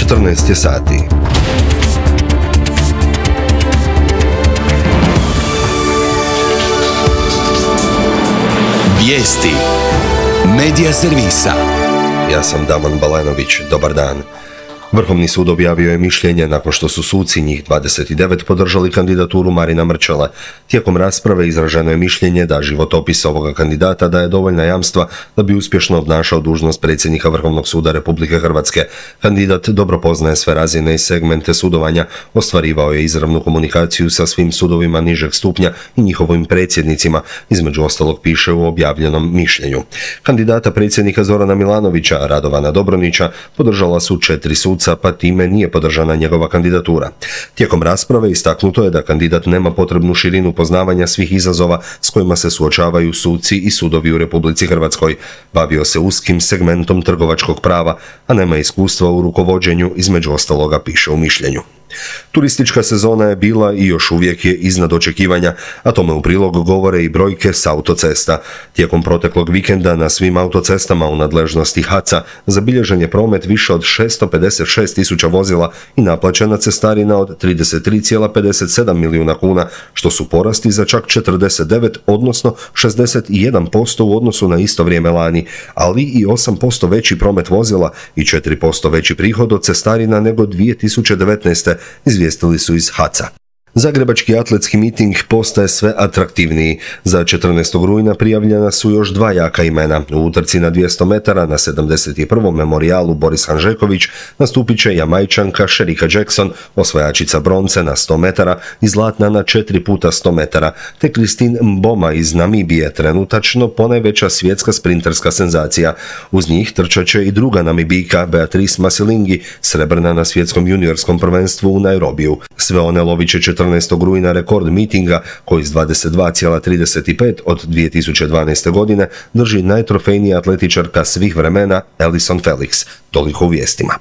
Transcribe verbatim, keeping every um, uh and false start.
četrnaest je sati. Vijesti Medija servisa. Ja sam Daman Balenović, dobar dan. Vrhovni sud objavio je mišljenje nakon što su suci, njih dvadeset devet, podržali kandidaturu Marina Mrčele. Tijekom rasprave izraženo je mišljenje da životopis ovoga kandidata daje dovoljna jamstva da bi uspješno obnašao dužnost predsjednika Vrhovnog suda Republike Hrvatske. Kandidat dobro poznaje sve razine i segmente sudovanja, ostvarivao je izravnu komunikaciju sa svim sudovima nižeg stupnja i njihovim predsjednicima, između ostalog piše u objavljenom mišljenju. Kandidata predsjednika Zorana Milanovića, Radovana Dobronića, podržala su četiri suca, pa time nije podržana njegova kandidatura. Tijekom rasprave istaknuto je da kandidat nema potrebnu širinu poznavanja svih izazova s kojima se suočavaju suci i sudovi u Republici Hrvatskoj. Bavio se uskim segmentom trgovačkog prava, a nema iskustva u rukovođenju, između ostaloga piše u mišljenju. Turistička sezona je bila i još uvijek je iznad očekivanja, a tome u prilog govore i brojke s autocesta. Tijekom proteklog vikenda na svim autocestama u nadležnosti H A C-a zabilježen je promet više od šesto pedeset šest tisuća vozila i naplaćena cestarina od trideset tri zarez pedeset sedam milijuna kuna, što su porasti za čak četrdeset devet, odnosno šezdeset jedan posto u odnosu na isto vrijeme lani, ali i osam posto veći promet vozila i četiri posto veći prihod od cestarina nego dvije tisuće devetnaeste. Izvijestili su iz H A C a. Zagrebački atletski miting postaje sve atraktivniji. Za četrnaestog rujna prijavljena su još dva jaka imena. U utrci na dvjesto metara na sedamdeset prvom memorijalu Boris Hanžeković nastupit će Jamajčanka Shericka Jackson, osvajačica bronce na sto metara i zlatna na četiri puta sto metara, te Christine Mboma iz Namibije, trenutačno ponajveća svjetska sprinterska senzacija. Uz njih trčat će i druga Namibijka Beatrice Masilingi, srebrna na svjetskom juniorskom prvenstvu u Nairobiju. Sve one lovit će četrnaestog rujna rekord mitinga koji s dvadeset dva zarez trideset pet od dvije tisuće dvanaeste. godine drži najtrofejnija atletičarka svih vremena Allyson Felix. Toliko u vijestima.